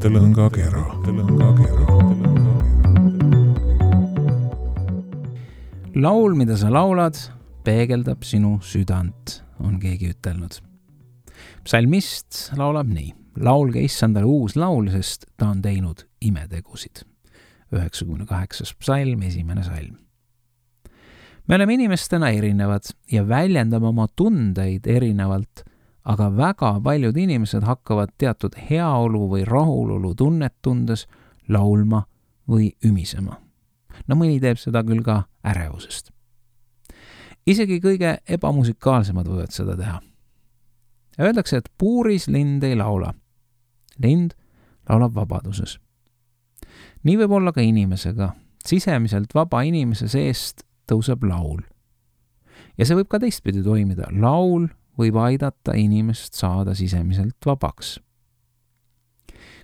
mõttelõngakera. Laul, mida sa laulad, peegeldab sinu südant, on keegi ütelnud. Psalmist laulab nii. Laulge Issandale uus laul, sest ta on teinud imetegusid. 98. psalm, 1. salm. Me oleme inimestena erinevad ja väljendame oma tundeid erinevalt, aga väga paljud inimesed hakkavad teatud heaolu või rahulolu tunnet tundes laulma või ümisema. No mõni teeb seda küll ka ärevusest. Isegi kõige ebamusikaalsemad võivad seda teha. Öeldakse, et puuris lind ei laula. Lind laulab vabaduses. Nii võib olla ka inimesega. Sisemiselt vaba inimese seest tõuseb laul. Ja see võib ka teistpidi toimida. Laul võib aidata inimest saada sisemiselt vabaks.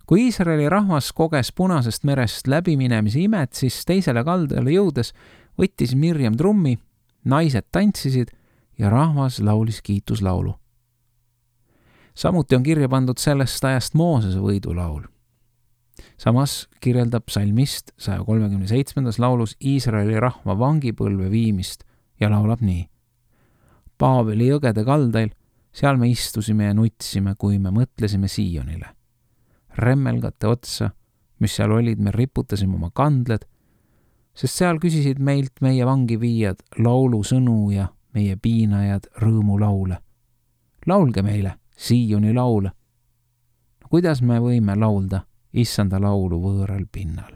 Kui Iisraeli rahvas koges Punasest merest läbiminemise imet, siis teisele kaldale jõudes võttis Mirjam trummi, naised tantsisid ja rahvas laulis kiituslaulu. Samuti on kirja pandud sellest ajast Moosese võidulaul. Samas kirjeldab psalmist 137. laulus Iisraeli rahva vangipõlve viimist ja laulab nii. Paaveli jõgede kaldail, seal me istusime ja nutsime, kui me mõtlesime Siionile. Remmelgate otsa, mis seal olid, me riputasime oma kandled, sest seal küsisid meilt meie vangiviijad laulu sõnu ja meie piinajad rõõmu laule. Laulge meile Sioni laule. No, kuidas me võime laulda Issanda laulu võõral pinnal?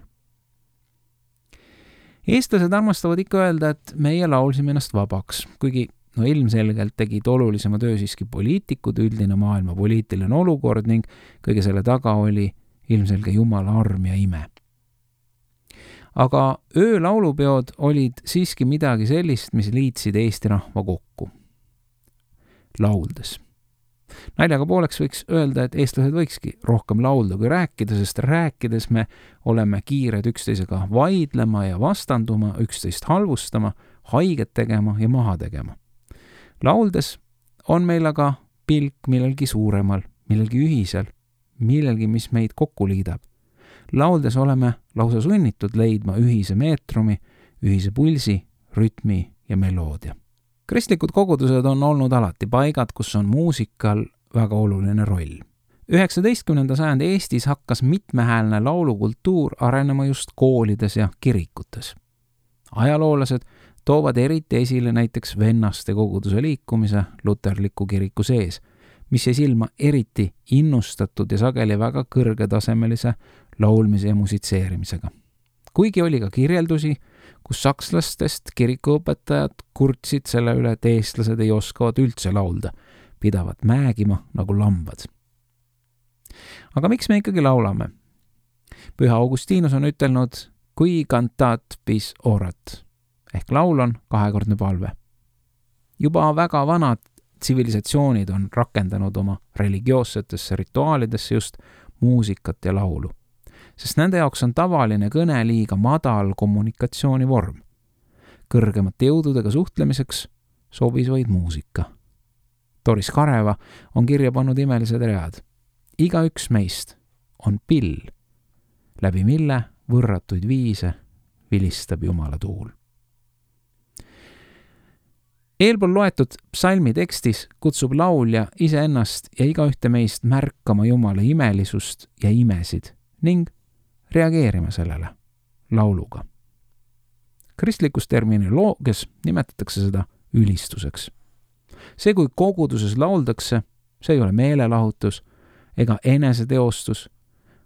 Eestlased armastavad ikka öelda, et meie laulsime ennast vabaks, kuigi ilmselgelt tegid olulisema töö siiski poliitikud, üldine maailma poliitiline olukord ning kõige selle taga oli ilmselge Jumala arm ja ime. Aga öölaulupeod olid siiski midagi sellist, mis liitsid Eesti rahva kokku. Lauldes. Naljaga pooleks võiks öelda, et eestlased võikski rohkem laulda kui rääkida, sest rääkides me oleme kiired üksteisega vaidlema ja vastanduma, üksteist halvustama, haiget tegema ja maha tegema. Lauldes on meil aga pilk millelgi suuremal, millelgi ühisel, millelgi, mis meid kokku liidab. Lauldes oleme lausa sunnitud leidma ühise meetrumi, ühise pulsi, rütmi ja meloodia. Kristlikud kogudused on olnud alati paigad, kus on muusikal väga oluline roll. 19. sajandi Eestis hakkas mitmehäälne laulukultuur arenema just koolides ja kirikutes. Ajaloolased toovad eriti esile näiteks vennaste koguduse liikumise luterliku kiriku sees, mis jäi silma eriti innustatud ja sageli väga kõrgetasemelise laulmise ja musitseerimisega. Kuigi oli ka kirjeldusi, kus sakslastest kirikuõpetajad kurtsid selle üle, et eestlased ei oskavad üldse laulda, pidavad määgima nagu lambad. Aga miks me ikkagi laulame? Püha Augustinus on ütelnud, kui cantat bis orat, ehk laul on kahekordne palve. Juba väga vanad tsivilisatsioonid on rakendanud oma religioossetesse rituaalidesse just muusikat ja laulu, sest nende jaoks on tavaline kõne liiga madal kommunikatsioonivorm. Kõrgemate jõududega suhtlemiseks sobis vaid muusika. Doris Kareva on kirja pannud imelised read. Igaüks meist on pill, läbi mille võrratuid viise vilistab Jumala tuul. Eelpool loetud psalmi tekstis kutsub laulja iseennast ja igaühte meist märkama Jumala imelisust ja imesid ning reageerima sellele lauluga. Kristlikus terminoloogias nimetatakse seda ülistuseks. See, kui koguduses lauldakse, see ei ole meelelahutus ega eneseteostus,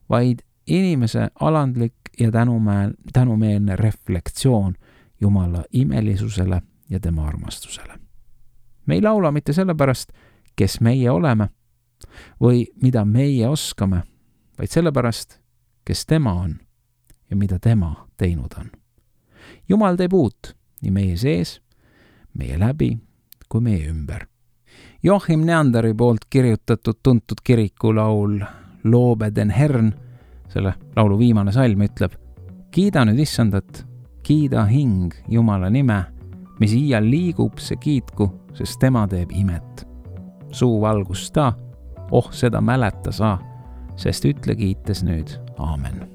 vaid inimese alandlik ja tänumeelne reflektsioon Jumala imelisusele ja tema armastusele. Me ei laula mitte sellepärast, kes meie oleme või mida meie oskame, vaid sellepärast, kes tema on ja mida tema teinud on. Jumal teeb uut nii meie sees, meie läbi kui meie ümber. Joachim Neanderi poolt kirjutatud tuntud kirikulaul Lobe den Herrn, selle laulu viimane salm ütleb: kiida nüüd Issandat, kiida hing Jumala nime, mis iial liigub, see kiitku, sest tema teeb imet. Suu valgus ta, seda mäleta sa, sest ütle kiites nüüd aamen.